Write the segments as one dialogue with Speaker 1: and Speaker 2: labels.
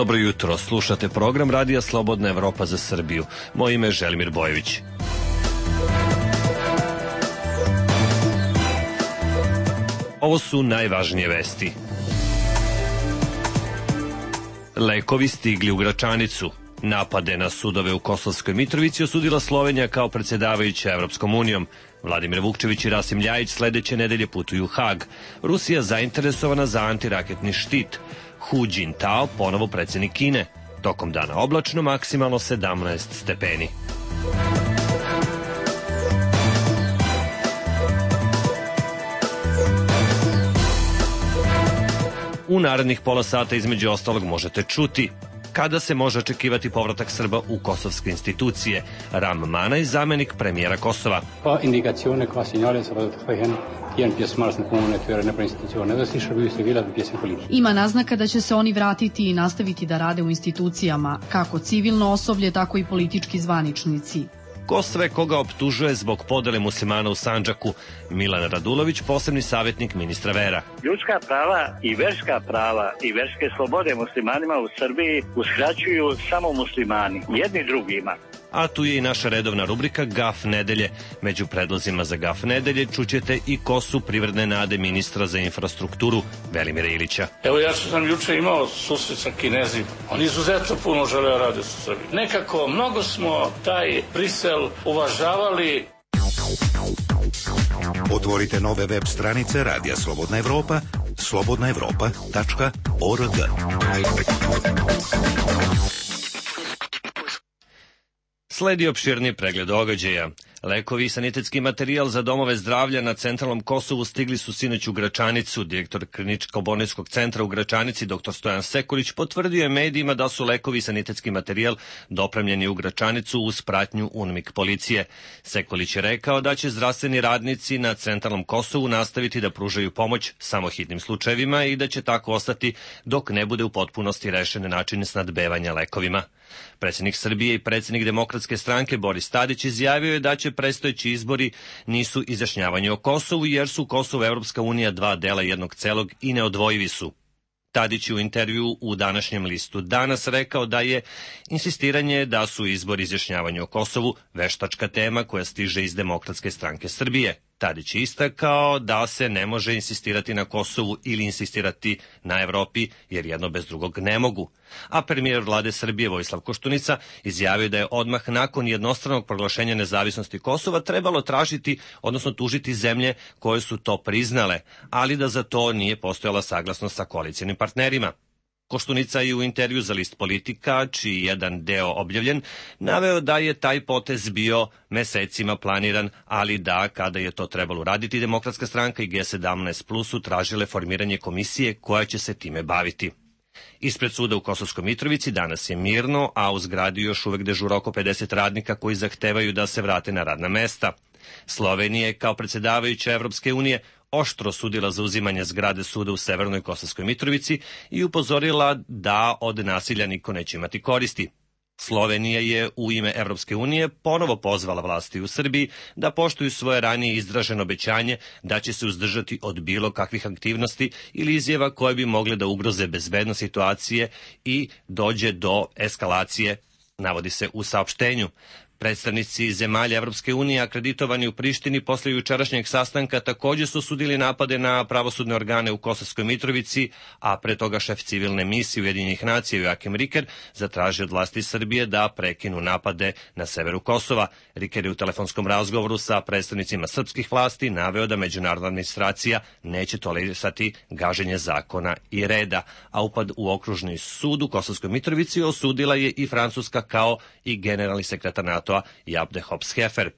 Speaker 1: Dobro jutro, slušate program Radija Slobodna Evropa za Srbiju. Moje ime je Želimir Bojević. Ovo su najvažnije vesti. Lekovi stigli u Gračanicu. Napade na sudove u Kosovskoj Mitrovici osudila Slovenija kao predsjedavajuća Evropskom unijom. Vladimir Vukčević i Rasim Ljajić sledeće nedelje putuju u Hag. Rusija zainteresovana za antiraketni štit. Hu Jintao ponovo predsjednik Kine. Tokom dana oblačno, maksimalno 17 stepeni. U narednih pola sata između ostalog možete čuti kada se može očekivati povratak Srba u kosovske institucije. Ram Manaj, zamenik premijera Kosova.
Speaker 2: Indikazione qua signore soprattutto
Speaker 3: Ima naznaka da će se oni vratiti i nastaviti da rade u institucijama, kako civilno osoblje, tako i politički zvaničnici.
Speaker 1: Ko sve koga optužuje zbog podele muslimana u Sandžaku? Milan Radulović, posebni savjetnik ministra vera.
Speaker 4: Ljudska prava i verske slobode muslimanima u Srbiji uskraćuju samo muslimani, jedni drugima.
Speaker 1: A tu je i naša redovna rubrika Gaf nedelje. Među predlozima za Gaf nedelje čućete i ko su privredne nade ministra za infrastrukturu Velimira Ilića.
Speaker 5: Evo ja sam juče imao susret sa Kinezima. Oni izuzetno puno žele rade sa Srbiji. Nekako mnogo smo taj Brisel uvažavali.
Speaker 6: Otvorite nove web stranice Radija Slobodna Evropa, slobodnaevropa.org.
Speaker 1: Sledi opširni pregled događaja. Lekovi i sanitetski materijal za domove zdravlja na centralnom Kosovu stigli su sinoć u Gračanicu. Direktor Kliničko-bolničkog centra u Gračanici, dr. Stojan Sekulić, potvrdio je medijima da su lekovi i sanitetski materijal dopremljeni u Gračanicu uz pratnju UNMIK policije. Sekulić je rekao da će zdravstveni radnici na centralnom Kosovu nastaviti da pružaju pomoć samo hitnim slučajevima i da će tako ostati dok ne bude u potpunosti rešen način snadbevanja lekovima. Predsjednik Srbije i predsjednik Demokratske stranke Boris Tadić izjavio je da će predstojeći izbori nisu izjašnjavanje o Kosovu jer su Kosovo i Evropska unija dva dela jednog celog i neodvojivi su. Tadić je u intervju u današnjem listu Danas rekao da je insistiranje da su izbori izjašnjavanje o Kosovu veštačka tema koja stiže iz Demokratske stranke Srbije. Tadić je istakao da se ne može insistirati na Kosovu ili insistirati na Evropi, jer jedno bez drugog ne mogu. A premijer vlade Srbije Vojislav Koštunica izjavio da je odmah nakon jednostranog proglašenja nezavisnosti Kosova trebalo tražiti, odnosno tužiti zemlje koje su to priznale, ali da za to nije postojala saglasnost sa koalicijnim partnerima. Koštunica je u intervju za list Politika, čiji jedan deo objavljen, naveo da je taj potez bio mesecima planiran, ali da kada je to trebalo raditi, Demokratska stranka i G17 Plus su tražile formiranje komisije koja će se time baviti. Ispred suda u Kosovskoj Mitrovici danas je mirno, a u zgradi još uvek dežura oko 50 radnika koji zahtevaju da se vrate na radna mesta. Slovenija je kao predsjedavajuća Evropske unije oštro sudila za uzimanje zgrade suda u Severnoj Kosovskoj Mitrovici i upozorila da od nasilja niko neće imati koristi. Slovenija je u ime Evropske unije ponovo pozvala vlasti u Srbiji da poštuju svoje ranije izraženo obećanje da će se uzdržati od bilo kakvih aktivnosti ili izjava koje bi mogle da ugroze bezbednost situacije i dođe do eskalacije, navodi se u saopštenju. Predstavnici zemalja Evropske unije akreditovani u Prištini posle jučerašnjeg sastanka također su osudili napade na pravosudne organe u Kosovskoj Mitrovici, a pre toga šef civilne misije Ujedinjenih nacija Joakim Riker zatražio od vlasti Srbije da prekinu napade na severu Kosova. Riker je u telefonskom razgovoru sa predstavnicima srpskih vlasti naveo da međunarodna administracija neće tolerisati gaženje zakona i reda, a upad u okružni sud u Kosovskoj Mitrovici osudila je i Francuska kao i generalni sekretar NATO Jabde Hops-Hefer.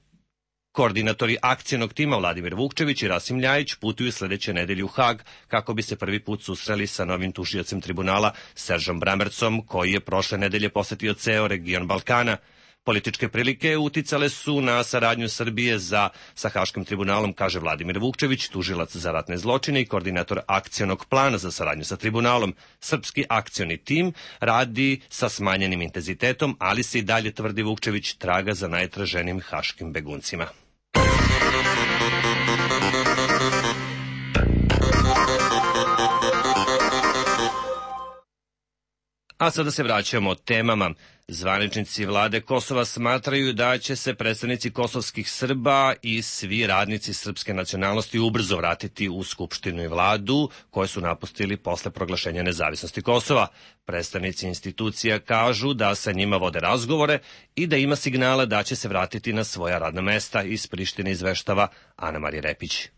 Speaker 1: Koordinatori akcijnog tima Vladimir Vukčević i Rasim Ljajić putuju sledeće nedelje u Hag kako bi se prvi put susreli sa novim tužiocem tribunala Seržom Brammercom, koji je prošle nedelje posetio ceo region Balkana. Političke prilike uticale su na saradnju Srbije sa Haškim tribunalom, kaže Vladimir Vukčević, tužilac za ratne zločine i koordinator akcionog plana za saradnju sa tribunalom. Srpski akcioni tim radi sa smanjenim intenzitetom, ali se i dalje, tvrdi Vukčević, traga za najtraženim haškim beguncima. A sada se vraćamo temama. Zvaničnici vlade Kosova smatraju da će se predstavnici kosovskih Srba i svi radnici srpske nacionalnosti ubrzo vratiti u Skupštinu i vladu koje su napustili posle proglašenja nezavisnosti Kosova. Predstavnici institucija kažu da sa njima vode razgovore i da ima signala da će se vratiti na svoja radna mesta. Iz Prištine izveštava Ana Marija Repić.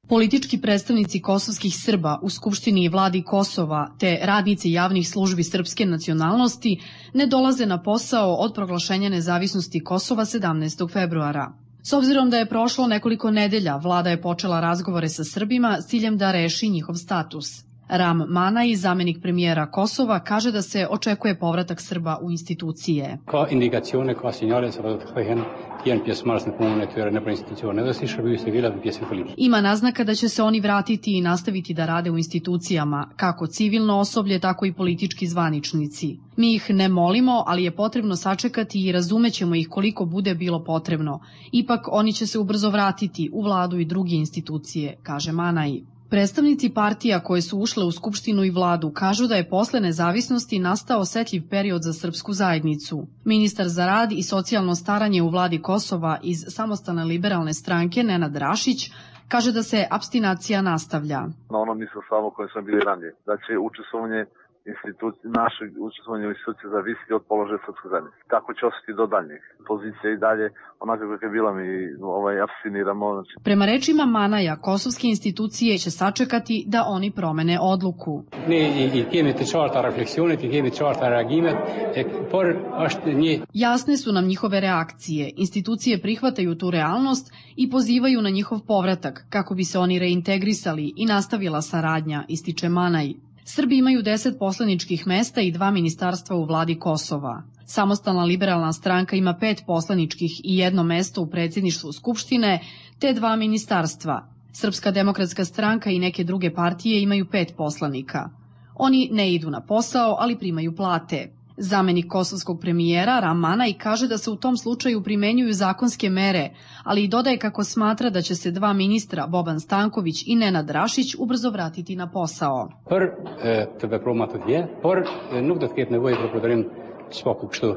Speaker 3: Politički predstavnici kosovskih Srba u Skupštini i vladi Kosova te radnici javnih službi srpske nacionalnosti ne dolaze na posao od proglašenja nezavisnosti Kosova 17. februara. S obzirom da je prošlo nekoliko nedelja, vlada je počela razgovore sa Srbima s ciljem da reši njihov status. Ram Manaj, zamenik premijera Kosova, kaže da se očekuje povratak Srba u institucije.
Speaker 2: Ka indikacione, ka sinjale se do të kthehen janë pjesëmarrës në punën e tyre nëpër institucione dhe si shërbimi civil dhe pjesë politike.
Speaker 3: Ima naznaka da će se oni vratiti i nastaviti da rade u institucijama, kako civilno osoblje, tako i politički zvaničnici. Mi ih ne molimo, ali je potrebno sačekati i razumećemo ih koliko bude bilo potrebno. Ipak oni će se ubrzo vratiti u vladu i druge institucije, kaže Manaj. Predstavnici partija koje su ušle u Skupštinu i vladu kažu da je posle nezavisnosti nastao osetljiv period za srpsku zajednicu. Ministar za rad i socijalno staranje u vladi Kosova iz Samostalne liberalne stranke Nenad Rašić kaže da se apstinacija nastavlja.
Speaker 7: Na onom nisam samo koje sam bili ranije. Da će naše učestvovanje u instituciji zavisiti od položaja srpske zajednice. Kako će ostati do daljnjih. Pozicija i dalje, onako kako je bila, mi apstiniramo.
Speaker 3: Prema rečima Manaja, kosovske institucije će sačekati da oni promene odluku. Jasne su nam njihove reakcije. Institucije prihvataju tu realnost i pozivaju na njihov povratak, kako bi se oni reintegrisali i nastavila saradnja, ističe Manaj. Srbi imaju 10 poslaničkih mesta i 2 ministarstva u vladi Kosova. Samostalna liberalna stranka ima 5 poslaničkih i 1 mesto u predsjedništvu Skupštine, te 2 ministarstva. Srpska demokratska stranka i neke druge partije imaju 5 poslanika. Oni ne idu na posao, ali primaju plate. Zamenik kosovskog premijera Ram Manaj kaže da se u tom slučaju primenjuju zakonske mere, ali i dodaje kako smatra da će se 2 ministra, Boban Stanković i Nenad Rašić, ubrzo vratiti na posao.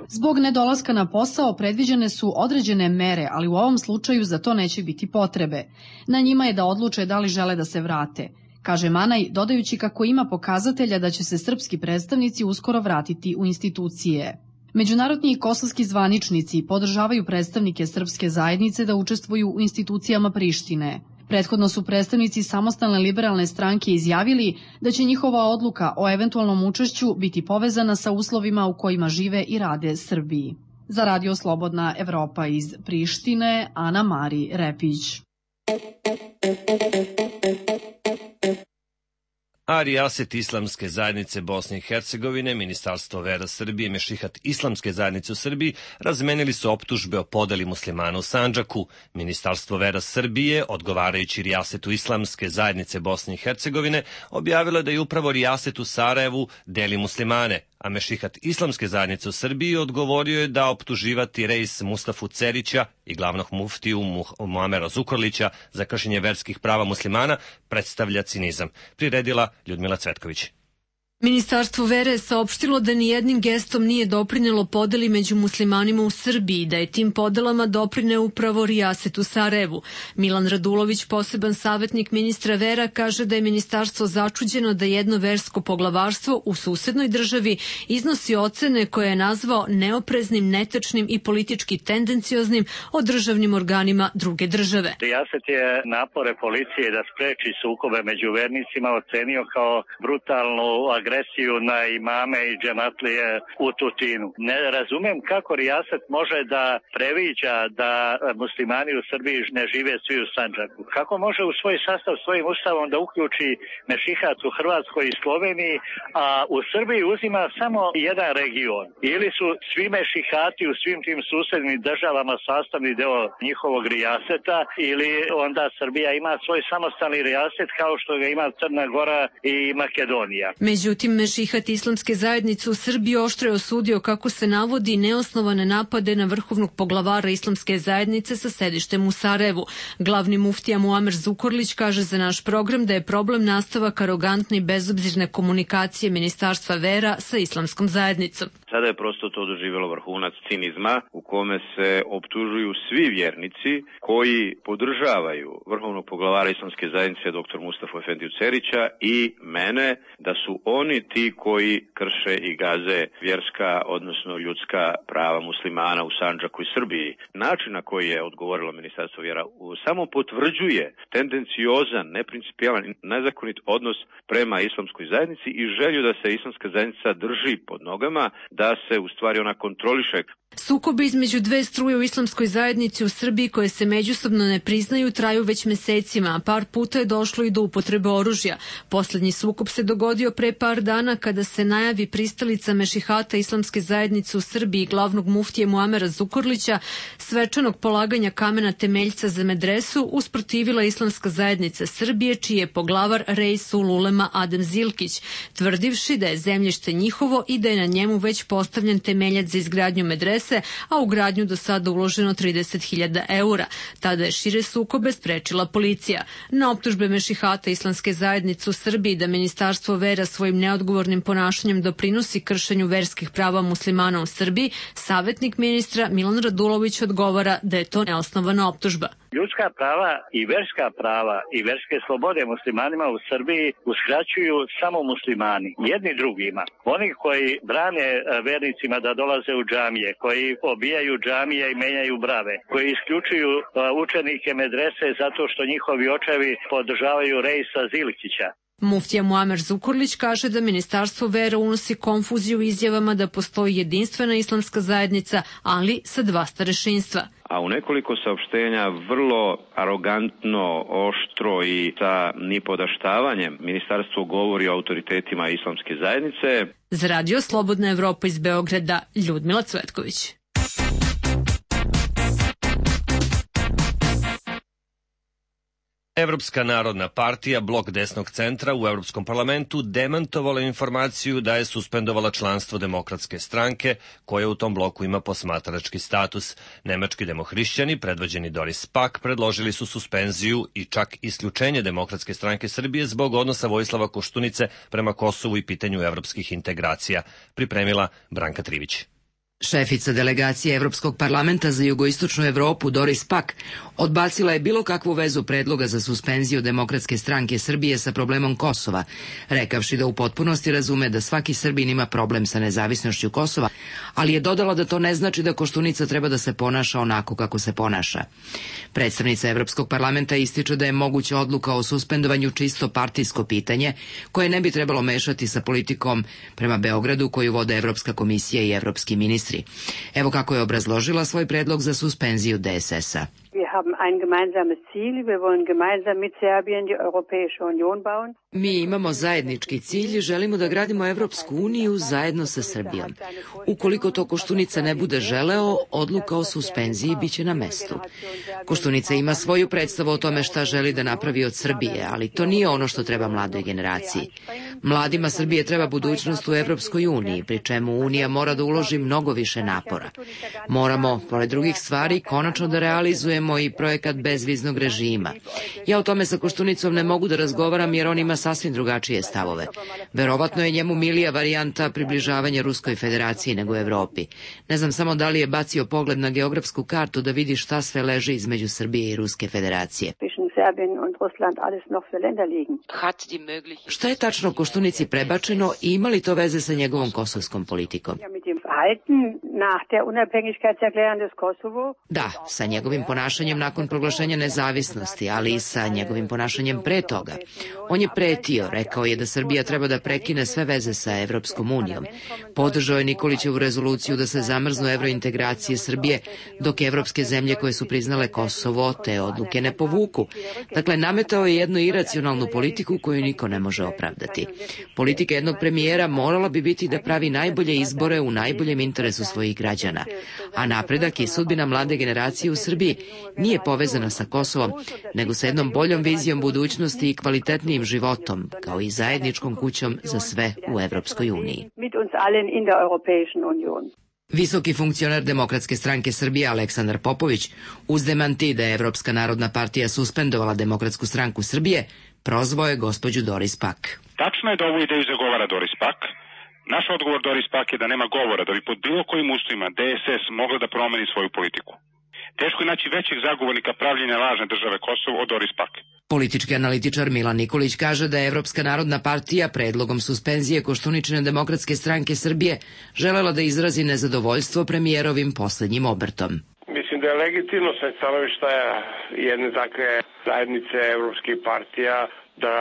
Speaker 3: Zbog nedolaska na posao predviđene su određene mere, ali u ovom slučaju za to neće biti potrebe. Na njima je da odluče da li žele da se vrate, kaže Manaj, dodajući kako ima pokazatelja da će se srpski predstavnici uskoro vratiti u institucije. Međunarodni i kosovski zvaničnici podržavaju predstavnike srpske zajednice da učestvuju u institucijama Prištine. Prethodno su predstavnici Samostalne liberalne stranke izjavili da će njihova odluka o eventualnom učešću biti povezana sa uslovima u kojima žive i rade Srbiji. Za Radio Slobodna Evropa iz Prištine, Ana Marija Repić.
Speaker 1: A rijaset Islamske zajednice Bosne i Hercegovine, Ministarstvo vera Srbije i Mešihat Islamske zajednice u Srbiji razmenili su optužbe o podeli muslimana u Sandžaku. Ministarstvo vera Srbije, odgovarajući rijasetu Islamske zajednice Bosne i Hercegovine, objavilo da je upravo rijaset u Sarajevu deli muslimane, a Mešihat Islamske zajednice u Srbiji odgovorio je da optuživati Reis Mustafu Cerića i glavnog muftiju Muamera Zukorlića za kršenje verskih prava muslimana predstavlja cinizam. Priredila Ljudmila Cvetković.
Speaker 8: Ministarstvo vere je saopštilo da nijednim gestom nije doprinelo podeli među muslimanima u Srbiji, da je tim podelama doprineo upravo rijaset u Sarajevu. Milan Radulović, poseban savjetnik ministra vera, kaže da je ministarstvo začuđeno da jedno versko poglavarstvo u susednoj državi iznosi ocene koje je nazvao neopreznim, netačnim i politički tendencioznim o državnim organima druge države.
Speaker 4: Rijaset je napore policije da spreči sukobe među vernicima ocenio kao brutalnu agresiju na imame i džematlije u Tutinu. Ne razumem kako rijaset može da previđa da muslimani u Srbiji ne žive svi u Sandžaku. Kako može u svoj sastav svojim ustavom da uključi mešihat u Hrvatskoj i Sloveniji, a u Srbiji uzima samo jedan region. Ili su svi mešihati u svim tim susednim državama sastavni deo njihovog rijaseta, ili onda Srbija ima svoj samostalni rijaset kao što ga ima Crna Gora i Makedonija.
Speaker 8: Međutim, Međutim, Mešihat islamske zajednice u Srbiji oštro je osudio, kako se navodi, neosnovane napade na vrhovnog poglavara islamske zajednice sa sedištem u Sarajevu. Glavni muftija Muamer Zukorlić kaže za naš program da je problem nastavak arogantne i bezobzirne komunikacije Ministarstva vera sa islamskom zajednicom.
Speaker 9: Sada je prosto to doživjelo vrhunac cinizma u kome se optužuju svi vjernici koji podržavaju vrhovnog poglavara islamske zajednice dr. Mustafa Efendiju Cerića i mene, da su oni ti koji krše i gaze vjerska, odnosno ljudska prava muslimana u Sandžaku i Srbiji. Način na koji je odgovorilo Ministarstvo vjera samo potvrđuje tendenciozan, neprincipijalan i nezakonit odnos prema islamskoj zajednici i želju da se islamska zajednica drži pod nogama, da se u stvari ona kontroliše.
Speaker 8: Sukobi između dve struje u islamskoj zajednici u Srbiji koje se međusobno ne priznaju traju već mesecima, a par puta je došlo i do upotrebe oružja. Poslednji sukob se dogodio pre par dana kada se najavi pristalica Mešihata islamske zajednice u Srbiji glavnog muftije Muamera Zukorlića svečanog polaganja kamena temeljca za medresu usprotivila islamska zajednica Srbije, čiji je poglavar Reisul Ulema Adem Zilkić, tvrdivši da je zemljište njihovo i da je na njemu već postavljen temeljac za izgradnju medrese, a u gradnju do sada uloženo 30.000 eura. Tada je šire sukobe sprečila policija. Na optužbe Mešihata islamske zajednice u Srbiji da Ministarstvo vera svojim neodgovornim ponašanjem doprinosi kršenju verskih prava muslimana u Srbiji, savjetnik ministra Milan Radulović odgovara da je to neosnovana optužba.
Speaker 4: Ljudska prava i verske slobode muslimanima u Srbiji uskraćuju samo muslimani, jedni drugima. Oni koji brane vernicima da dolaze u džamije, koji obijaju džamije i menjaju brave, koji isključuju učenike medrese zato što njihovi očevi podržavaju Reisa Zilkića.
Speaker 8: Muftija Muamer Zukorlić kaže da Ministarstvo vera unosi konfuziju izjavama da postoji jedinstvena islamska zajednica, ali sa dva starešinstva.
Speaker 9: A u nekoliko saopštenja vrlo arogantno, oštro i sa nipodaštavanjem ministarstvo govori o autoritetima islamske zajednice.
Speaker 8: Za Radio Slobodna Evropa iz Beograda, Ljudmila Cvetković.
Speaker 1: Evropska narodna partija, blok desnog centra u Evropskom parlamentu, demantovala informaciju da je suspendovala članstvo Demokratske stranke, koja u tom bloku ima posmatrački status. Nemački demohrišćani, predvođeni Doris Pack, predložili su suspenziju i čak isključenje Demokratske stranke Srbije zbog odnosa Vojislava Koštunice prema Kosovu i pitanju evropskih integracija. Pripremila Branka Trivić.
Speaker 10: Šefica delegacije Evropskog parlamenta za jugoistočnu Evropu Doris Pack odbacila je bilo kakvu vezu predloga za suspenziju Demokratske stranke Srbije sa problemom Kosova, rekavši da u potpunosti razume da svaki Srbin ima problem sa nezavisnošću Kosova, ali je dodala da to ne znači da Koštunica treba da se ponaša onako kako se ponaša. Predstavnica Evropskog parlamenta ističe da je moguća odluka o suspendovanju čisto partijsko pitanje, koje ne bi trebalo mešati sa politikom prema Beogradu koju vode Evropska komisija i evropski ministri. Evo kako je obrazložila svoj predlog za suspenziju DSS-a. Mi imamo zajednički cilj, želimo da gradimo Evropsku uniju zajedno sa Srbijom. Ukoliko to Koštunica ne bude želeo, odluka o suspenziji biće na mestu. Koštunica ima svoju predstavu o tome šta želi da napravi od Srbije, ali to nije ono što treba mladoj generaciji. Mladima Srbije treba budućnost u Evropskoj uniji, pri čemu Unija mora da uloži mnogo više napora. Moramo, pored drugih stvari, konačno da realizujemo i projekat bezviznog režima. Ja o tome sa Koštunicom ne mogu da razgovaram jer on ima sasvim drugačije stavove. Verovatno je njemu milija varijanta približavanja Ruskoj federaciji nego Evropi. Ne znam samo da li je bacio pogled na geografsku kartu da vidi šta sve leži između Srbije i Ruske federacije. Šta je tačno Koštunici prebačeno i ima li to veze sa njegovom kosovskom politikom? Da, sa njegovim ponašanjem nakon proglašenja nezavisnosti, ali i sa njegovim ponašanjem pre toga. On je pretio, rekao je da Srbija treba da prekine sve veze sa Evropskom unijom. Podržao je Nikolićevu rezoluciju da se zamrznu evrointegracije Srbije, dok evropske zemlje koje su priznale Kosovo te odluke ne povuku. Dakle, nametao je jednu iracionalnu politiku koju niko ne može opravdati. Politika jednog premijera morala bi biti da pravi najbolje izbore u najbolje najboljem interesu svojih građana. A napredak i sudbina mlade generacije u Srbiji nije povezana sa Kosovom, nego sa jednom boljom vizijom budućnosti i kvalitetnijim životom, kao i zajedničkom kućom za sve u Evropskoj uniji. Visoki funkcioner Demokratske stranke Srbije Aleksandar Popović, uz demanti da je Evropska narodna partija suspendovala Demokratsku stranku Srbije, prozvao je gospođu Doris Pack.
Speaker 11: Tačno je da ovu ideju zagovara Doris Pack. Naš odgovor Doris Pack je da nema govora da bi pod bilo kojim uslovima DSS mogla da promeni svoju politiku. Teško je naći većeg zagovornika pravljenja lažne države Kosovo od Doris Pack.
Speaker 10: Politički analitičar Milan Nikolić kaže da je Evropska narodna partija predlogom suspenzije Koštuničine Demokratske stranke Srbije želela da izrazi nezadovoljstvo premijerovim poslednjim obrtom.
Speaker 12: Mislim da je legitimno sa stanovišta jedne takve zajednice evropskih partija da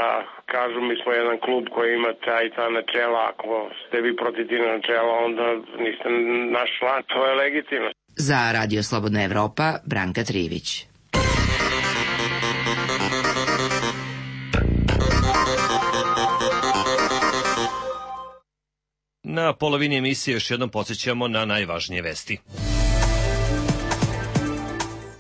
Speaker 12: kažu mi smo jedan klub koji ima ta načela, ako ste vi protiv tih načela onda niste naš član, to je legitimno.
Speaker 10: Za Radio Slobodna Evropa, Branka Trivić.
Speaker 1: Na polovini emisije još jednom podsjećamo na najvažnije vesti.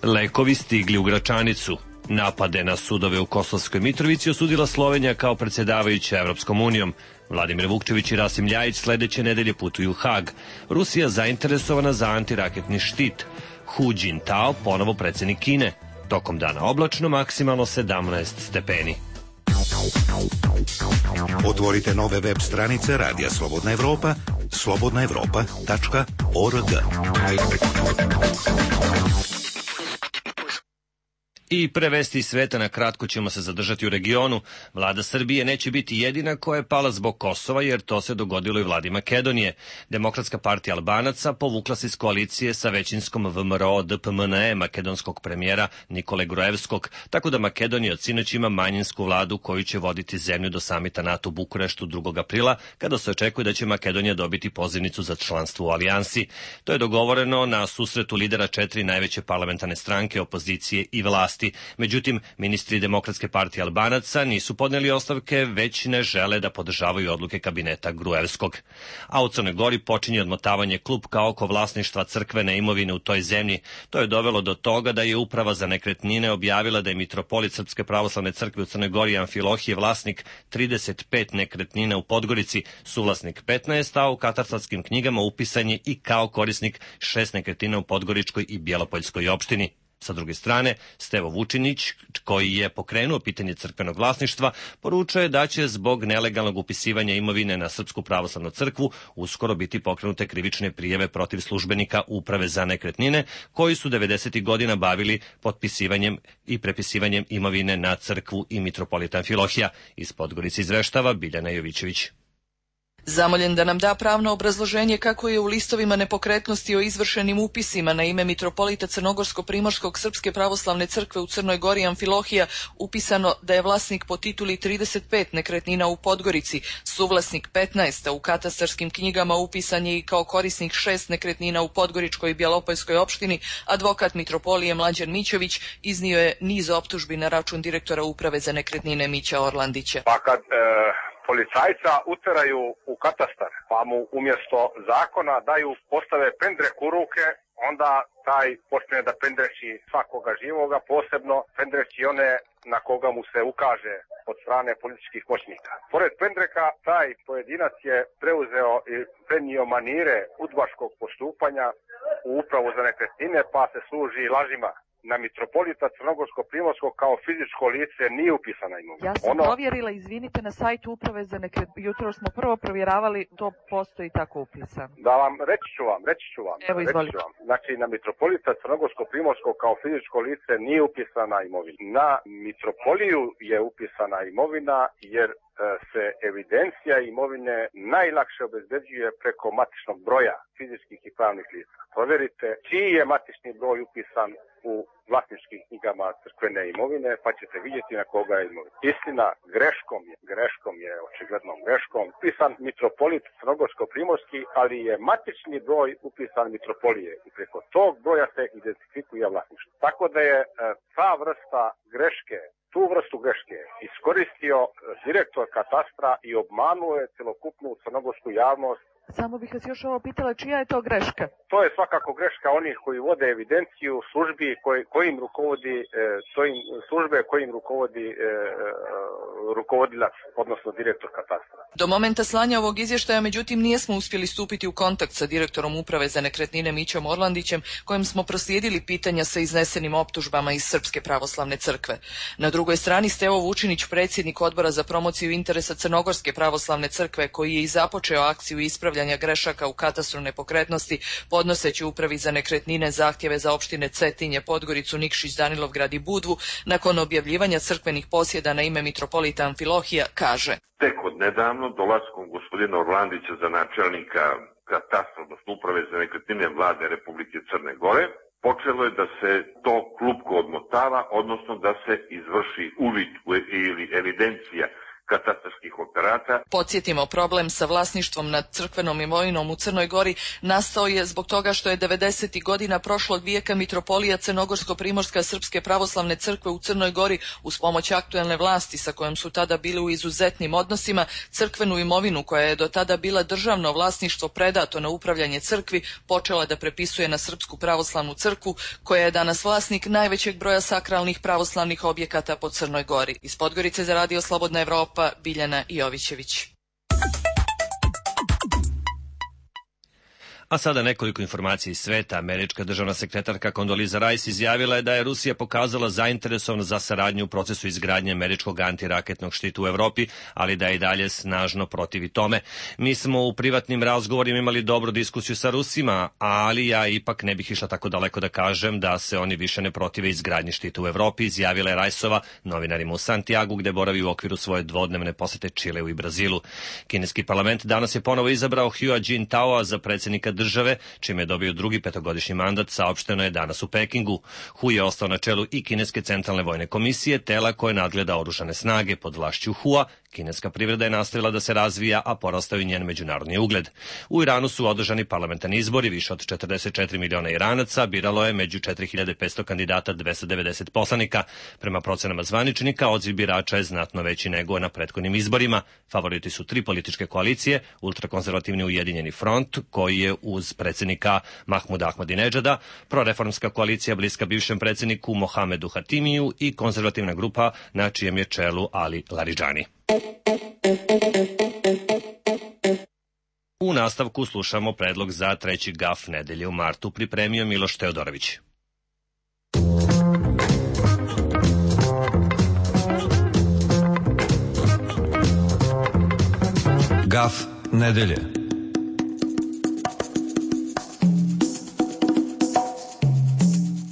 Speaker 1: Lekovi stigli u Gračanicu. Napade na sudove u Kosovskoj Mitrovici osudila Slovenija kao predsjedavajuća Evropskom unijom. Vladimir Vukčević i Rasim Ljajić sledeće nedelje putuju u Hag. Rusija zainteresovana za antiraketni štit. Hu Jintao ponovo predsjednik Kine. Tokom dana oblačno, maksimalno 17 stepeni.
Speaker 6: Otvorite nove web stranice Radija Slobodna Evropa, slobodnaevropa.org.
Speaker 1: I pre vesti iz sveta na kratko ćemo se zadržati u regionu. Vlada Srbije neće biti jedina koja je pala zbog Kosova, jer to se dogodilo i vladi Makedonije. Demokratska partija Albanaca povukla se iz koalicije sa većinskom VMRO DPMNE makedonskog premijera Nikole Gruevskog, tako da Makedonija od sinoć ima manjinsku vladu koju će voditi zemlju do samita NATO u Bukureštu 2. aprila, kada se očekuje da će Makedonija dobiti pozivnicu za članstvo u alijansi. To je dogovoreno na susretu lidera 4 najveće parlamentarne stranke, opozicije i vlasti. Međutim, ministri Demokratske partije Albanaca nisu podneli ostavke, već ne žele da podržavaju odluke kabineta Gruevskog. A u Crnoj Gori počinje odmotavanje klupka oko vlasništva crkvene imovine u toj zemlji. To je dovelo do toga da je Uprava za nekretnine objavila da je mitropolit Srpske pravoslavne crkve u Crnoj Gori Amfilohije vlasnik 35 nekretnina u Podgorici, suvlasnik 15, a u katastarskim knjigama upisan je i kao korisnik 6 nekretnina u Podgoričkoj i Bjelopoljskoj opštini. Sa druge strane, Stevo Vučinić, koji je pokrenuo pitanje crkvenog vlasništva, poručuje da će zbog nelegalnog upisivanja imovine na Srpsku pravoslavnu crkvu uskoro biti pokrenute krivične prijave protiv službenika Uprave za nekretnine, koji su 90. godina bavili potpisivanjem i prepisivanjem imovine na crkvu i mitropolita Amfilohija. Iz Podgorice izveštava Biljana Jovićević.
Speaker 13: Zamoljen da nam da pravno obrazloženje kako je u listovima nepokretnosti o izvršenim upisima na ime mitropolita Crnogorsko-Primorskog Srpske pravoslavne crkve u Crnoj Gori Amfilohija upisano da je vlasnik po tituli 35 nekretnina u Podgorici, suvlasnik 15, a u katastarskim knjigama upisan je i kao korisnik 6 nekretnina u Podgoričkoj i Bjelopoljskoj opštini, advokat mitropolije Mlađan Mićović iznio je niz optužbi na račun direktora Uprave za nekretnine Mića Orlandića.
Speaker 14: Pa kad policajca uteraju u katastar, pa mu umjesto zakona postave pendrek u ruke, onda taj počne da pendreći svakoga živoga, posebno pendreći one na koga mu se ukaže od strane političkih moćnika. Pored pendreka, taj pojedinac je preuzeo i prenio manire udbaškog postupanja u Upravu za nekretnine, pa se služi lažima. Na mitropolita Crnogorsko-Primorskog kao fizičko lice nije upisana imovina.
Speaker 13: Ja sam provjerila, izvinite, na sajtu Uprave za nekretnine. Jutro smo prvo provjeravali, to postoji tako upisan.
Speaker 14: Da vam, reći ću vam.
Speaker 13: Evo, izvolite.
Speaker 14: Znači, na mitropolita Crnogorsko-Primorskog kao fizičko lice nije upisana imovina. Na mitropoliju je upisana imovina jer se evidencija imovine najlakše obezbeđuje preko matičnog broja fizičkih i pravnih lica. Provjerite čiji je matični broj upisan u vlasničkim knjigama crkvene imovine, pa ćete vidjeti na koga je imovina. Istina, greškom je očiglednom greškom upisan mitropolit Crnogorsko-Primorski, ali je matični broj upisan mitropolije i preko tog broja se identifikuje vlasništvo. Tako da je ta vrsta greške, tu vrstu greške iskoristio direktor katastra i obmanuo je celokupnu crnogorsku javnost
Speaker 13: Samo bih vas još ovo pitala, čija je to greška?
Speaker 14: To je svakako greška onih koji vode evidenciju službi kojim rukovodi rukovodilac, odnosno direktor katastra.
Speaker 13: Do momenta slanja ovog izvještaja, međutim, nijesmo uspjeli stupiti u kontakt sa direktorom Uprave za nekretnine Mićom Orlandićem, kojem smo proslijedili pitanja sa iznesenim optužbama iz Srpske pravoslavne crkve. Na drugoj strani Stevo Vučinić, predsjednik Odbora za promociju interesa Crnogorske pravoslavne crkve, koji je i započeo akciju ispravljanja grešaka u katastru nepokretnosti, podnoseći Upravi za nekretnine zahtjeve za opštine Cetinje, Podgoricu, Nikšić, Danilovgrad i Budvu, nakon objavljivanja crkvenih posjeda na ime mitropolita Amfilohija, kaže:
Speaker 15: Tek od nedavno dolaskom gospodina Orlandića za načelnika katastra, odnosno Uprave za nekretnine Vlade Republike Crne Gore, počelo je da se to klupko odmotava, odnosno da se izvrši uvid ili evidencija katastarskih operata.
Speaker 13: Podsjetimo, problem sa vlasništvom nad crkvenom imovinom u Crnoj Gori nastao je zbog toga što je 90. godina prošlog vijeka mitropolija Crnogorsko-primorska Srpske pravoslavne crkve u Crnoj Gori uz pomoć aktuelne vlasti sa kojom su tada bili u izuzetnim odnosima, crkvenu imovinu koja je do tada bila državno vlasništvo predato na upravljanje crkvi počela da prepisuje na Srpsku pravoslavnu crkvu, koja je danas vlasnik najvećeg broja sakralnih pravoslavnih objekata po Crnoj Gori. Iz Podgorice za Radio Slobodna Evropa, Biljana Jovićević.
Speaker 1: A sada nekoliko informacija iz sveta. Američka državna sekretarka Condoleezza Rice izjavila je da je Rusija pokazala zainteresovanost za saradnju u procesu izgradnje američkog antiraketnog štita u Evropi, ali da je i dalje snažno protivi tome. Mi smo u privatnim razgovorima imali dobru diskusiju sa Rusima, ali ja ipak ne bih išla tako daleko da kažem da se oni više ne protive izgradnji štita u Evropi, izjavila je Rajsova novinarima u Santiagu, gde boravi u okviru svoje dvodnevne posete Čileu i Brazilu. Kineski parlament danas je ponovo izabrao Hua Jintaoa za predsjednika države, čime je dobio drugi petogodišnji mandat, saopšteno je danas u Pekingu. Hu je ostao na čelu i Kineske centralne vojne komisije, tela koje nadgleda oružane snage. Pod vlašću Hua, kineska privreda je nastavila da se razvija, a porastao i njen međunarodni ugled. U Iranu su održani parlamentarni izbori, više od 44 miliona Iranaca biralo je među 4500 kandidata 290 poslanika. Prema procenama zvaničnika, odziv birača je znatno veći nego na prethodnim izborima. Favoriti su tri političke koalicije, ultrakonzervativni Ujedinjeni front, koji je uz predsjednika Mahmuda Ahmadinedžada, proreformska koalicija bliska bivšem predsjedniku Mohamedu Hatimiju i konzervativna grupa na čijem je čelu Ali Laridžani. U nastavku slušamo predlog za treći gaf nedelje u martu, pripremio Miloš Teodorović.
Speaker 16: Gaf nedelje.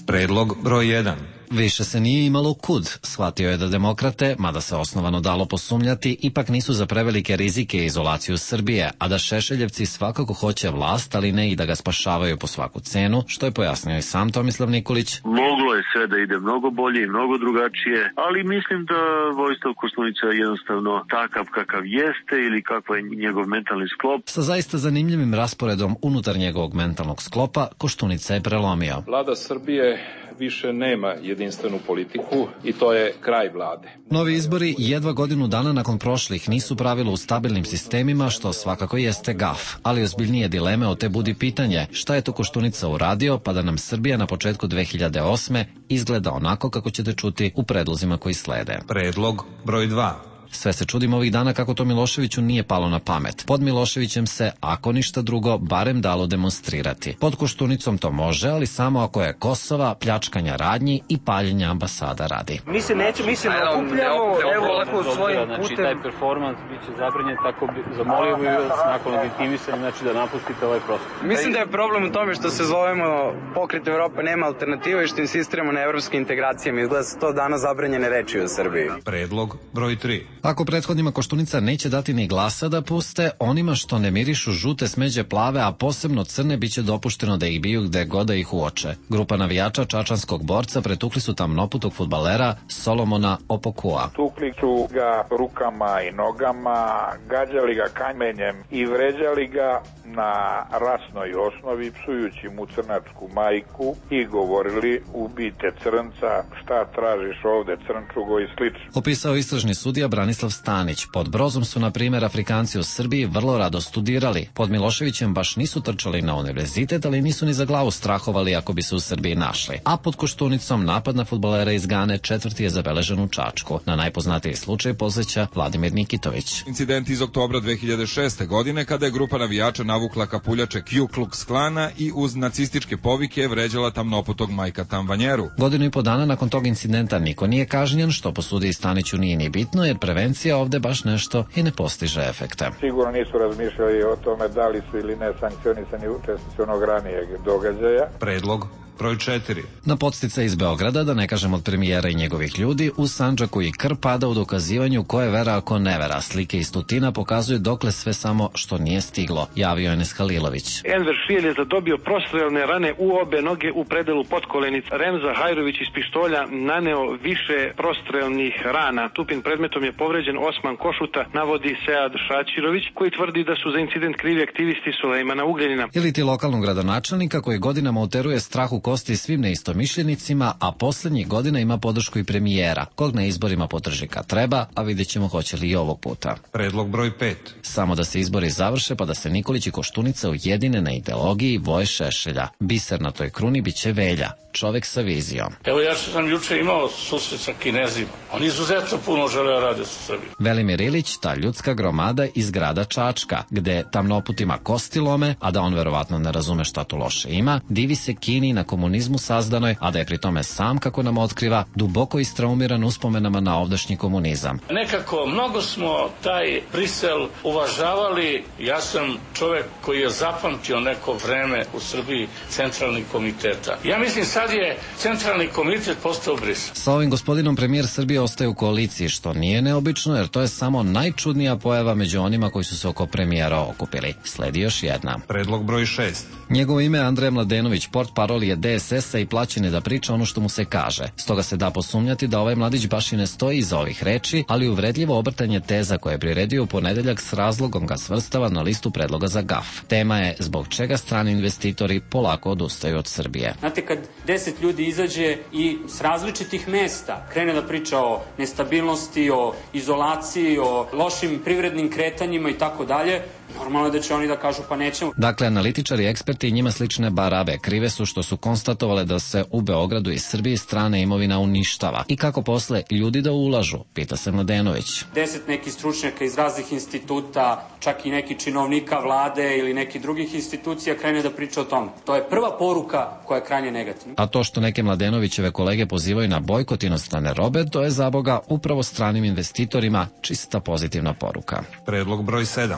Speaker 16: Predlog broj 1.
Speaker 17: Više se nije imalo kud. Shvatio je da demokrate, mada se osnovano dalo posumnjati, ipak nisu za prevelike rizike i izolaciju Srbije, a da Šešeljevci svakako hoće vlast, ali ne i da ga spašavaju po svaku cenu, što je pojasnio i sam Tomislav Nikolić.
Speaker 18: Moglo je sve da ide mnogo bolje i mnogo drugačije, ali mislim da Vojislav Koštunica je jednostavno takav kakav jeste ili kakav je njegov mentalni sklop.
Speaker 17: Sa zaista zanimljivim rasporedom unutar njegovog mentalnog sklopa, Koštunica je prelomio.
Speaker 19: Vlada Srbije više nema jedinstvenu politiku i to je kraj vlade.
Speaker 17: Novi izbori jedva godinu dana nakon prošlih nisu pravilo u stabilnim sistemima, što svakako jeste gaf, ali ozbiljnije dileme od te budi pitanje šta je to Koštunica uradio pa da nam Srbija na početku 2008. izgleda onako kako ćete čuti u predlozima koji slede.
Speaker 16: Predlog broj 2.
Speaker 17: Sve se čudimo ovih dana kako to Miloševiću nije palo na pamet. Pod Miloševićem se, ako ništa drugo, barem dalo demonstrirati. Pod Koštunicom to može, ali samo ako je Kosova, pljačkanja radnji i paljenja ambasada radi.
Speaker 20: Mi se ne okupljamo, evo ovako svojim putem.
Speaker 2: Znači, taj performans biće zabranjen, tako zamolio bih vas nakon legitimisanja, znači da napustite ovaj prostor.
Speaker 20: Mislim da je problem u tome što se zovemo Pokret Evrope nema alternative i što insistiramo na evropskim integracijama. Izgleda se to danas zabranjene reči u Srbiji.
Speaker 16: Predlog broj 3.
Speaker 17: Ako prethodnima Koštunica neće dati ni glasa da puste, onima što ne mirišu žute, smeđe, plave, a posebno crne, biće dopušteno da ih biju gde god da ih uoče. Grupa navijača čačanskog borca pretukli su tamnoputog fudbalera Solomona Opokua.
Speaker 21: Tukli su ga rukama i nogama, gađali ga kamenjem i vređali ga na rasnoj osnovi, psujući mu crnačku majku i govorili ubijte crnca, šta tražiš ovde crnčugo i slično.
Speaker 17: Opisao istražni sudija Branislav Branislav Stanić. Pod Brozom su, na primjer, Afrikanci u Srbiji vrlo rado studirali. Pod Miloševićem baš nisu trčali na univerzitet, ali nisu ni za glavu strahovali ako bi se u Srbiji našli. A pod Koštunicom napad na fudbalera iz Gane 4. je zabeležen u Čačku. Na najpoznatiji slučaj posjeća Vladimir Nikitović.
Speaker 5: Incident iz oktobra 2006. godine kada je grupa navijača navukla kapuljače Ku Klux Klana i uz nacističke povike vređala tamnoputog Majka Tamvanjeru.
Speaker 17: Godinu i po dana nakon tog incidenta niko nije kažnjen, što po sudiji Staniću nije ni bitno, jer prevencija ovde baš nešto i ne postiže efekte.
Speaker 21: Sigurno nisu razmišljali o tome da li su ili ne sankcionisani učesnici onog ranijeg događaja.
Speaker 16: Predlog broj 4.
Speaker 17: Na podsticaj iz Beograda, da ne kažem od premijera i njegovih ljudi, u Sandžaku i krv pada u dokazivanju ko je vera, a ko ne vera. Slike iz Tutina pokazuju dokle sve samo što nije stiglo, javio Enes Halilović.
Speaker 22: Enver Šrijelj je zadobio prostrelne rane u obe noge u predelu potkolenica. Remza Hajrović iz pištolja naneo više prostrelnih rana. Tupim predmetom je povređen Osman Košuta, navodi Sead Šačirović, koji tvrdi da su za incident krivi aktivisti Sulejmana Ugljanina.
Speaker 17: Ili ti lokalnog gradonačelnika koji godinama uteruje strah u kosti svim neistomišljenicima, a poslednjih godina ima podršku i premijera, kog na izborima podrži kad treba, a vidjet ćemo hoće li i ovog puta.
Speaker 16: Predlog broj 5.
Speaker 17: Samo da se izbori završe pa da se Nikolić i Koštunica ujedine na ideologiji Voje Šešelja. Biser na toj kruni biće Velja, čovek sa vizijom.
Speaker 23: Evo, ja sam juče imao susret sa Kinezima. Oni izuzetno puno žele rade sa Srbijom.
Speaker 17: Velimir Ilić, ta ljudska gromada iz grada Čačka, gde tamnoputima kosti lome, a da on verovatno ne razume šta tu loše ima, divi se Kini na komunizmu sazdanoj, a da je pri tome sam, kako nam otkriva, duboko istraumiran uspomenama na ovdašnji komunizam.
Speaker 23: Nekako, mnogo smo taj Brisel uvažavali. Ja sam čovek koji je zapamtio neko vreme u Srbiji centralnih komiteta. Ja mislim sad je centralni komitet postao Brisel.
Speaker 17: Sa ovim gospodinom premijer Srbije ostaje u koaliciji, što nije neobično, jer to je samo najčudnija pojava među onima koji su se oko premijera okupili. Sledi još jedna.
Speaker 16: Predlog broj 6.
Speaker 17: Njegovo ime je Andrej Mladenović, portparol je DSS-a i plaćen je da priča ono što mu se kaže. Stoga se da posumnjati da ovaj mladić baš i ne stoji iza ovih reči, ali uvredljivo obrtanje teza koje je priredio u ponedeljak s razlogom ga svrstava na listu predloga za GAF. Tema je zbog čega strani investitori polako odustaju od Srbije.
Speaker 24: Znate, kad 10 ljudi izađe i s različitih mesta krene da priča o nestabilnosti, o izolaciji, o lošim privrednim kretanjima i tako dalje, normalno je da će oni da kažu pa nećemo.
Speaker 17: Dakle, analitičari i eksperti i njima slične barabe krive su što su konstatovale da se u Beogradu i Srbiji strana imovina uništava. I kako posle ljudi da ulažu, pita se Mladenović.
Speaker 24: 10 nekih stručnjaka iz raznih instituta, čak i neki činovnika vlade ili nekih drugih institucija krene da priča o tome. To je prva poruka koja je krajnje negativna.
Speaker 17: A to što neke Mladenovićeve kolege pozivaju na bojkot inostrane robe, to je zaboga upravo stranim investitorima čista pozitivna poruka.
Speaker 16: Predlog broj 7.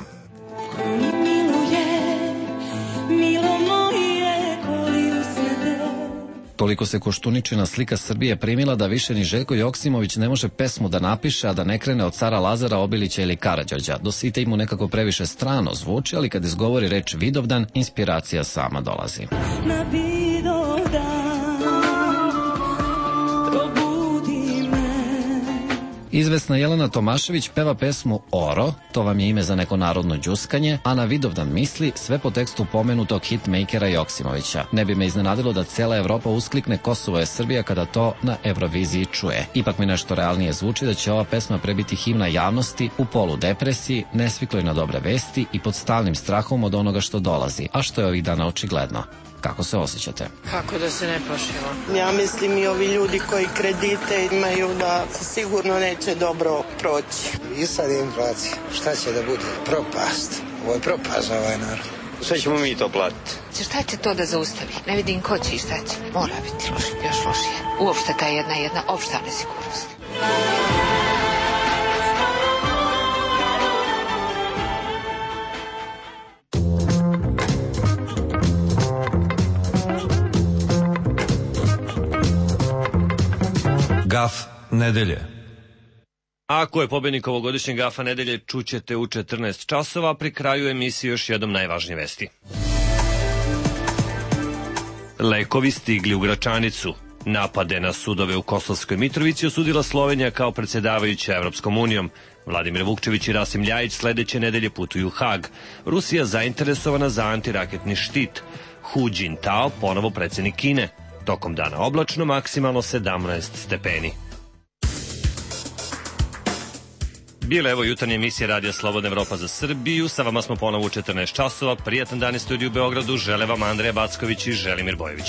Speaker 17: Toliko se Koštuničina slika Srbije primila da više ni Željko Joksimović ne može pesmu da napiše, a da ne krene od cara Lazara, Obilića ili Karađorđa. Do Site mu nekako previše strano zvuči, ali kad izgovori reč Vidovdan, inspiracija sama dolazi.
Speaker 25: Na Vidovdan probudi me.
Speaker 17: Izvesna Jelena Tomašević peva pesmu Oro, to vam je ime za neko narodno đuskanje, a na Vidovdan misli sve po tekstu pomenutog hitmakera Joksimovića. Ne bi me iznenadilo da cela Evropa usklikne Kosovo je Srbija kada to na Euroviziji čuje. Ipak mi nešto realnije zvuči da će ova pesma prebiti himna javnosti u polu depresiji, nesvikloj na dobre vesti i pod stalnim strahom od onoga što dolazi, a što je ovih dana očigledno. Kako se osjećate?
Speaker 26: Kako da se ne plašimo?
Speaker 27: Ja mislim i ovi ljudi koji kredite imaju da sigurno neće dobro proći.
Speaker 28: I sad inflacija. Šta će da bude? Propast. Ovo je propast za ovaj narod.
Speaker 29: Sve ćemo mi to platiti.
Speaker 26: Šta će to da zaustavi? Ne vidim ko će i šta će. Mora biti loše, još lošije. Uopšte ta jedna opšta nesigurnost.
Speaker 16: Gaf nedelje.
Speaker 1: Ako je pobednik ovogodišnjeg Gafa nedelje, čućete u 14 časova, pri kraju emisije još jednom najvažnije vesti. Lekovi stigli u Gračanicu. Napade na sudove u Kosovskoj Mitrovici osudila Slovenija kao predsjedavajuća Evropskom unijom. Vladimir Vukčević i Rasim Ljajić sledeće nedelje putuju u Hag. Rusija zainteresovana za antiraketni štit. Hu Jintao ponovo predsjednik Kine. Tokom dana oblačno, maksimalno 17 stepeni. Bila je evo jutarnja emisija Radija Slobodna Evropa za Srbiju. Sa vama smo ponovo u 14 časova. Prijatan dan iz studiju u Beogradu. Žele vam Andreja Backović i Želimir Bojević.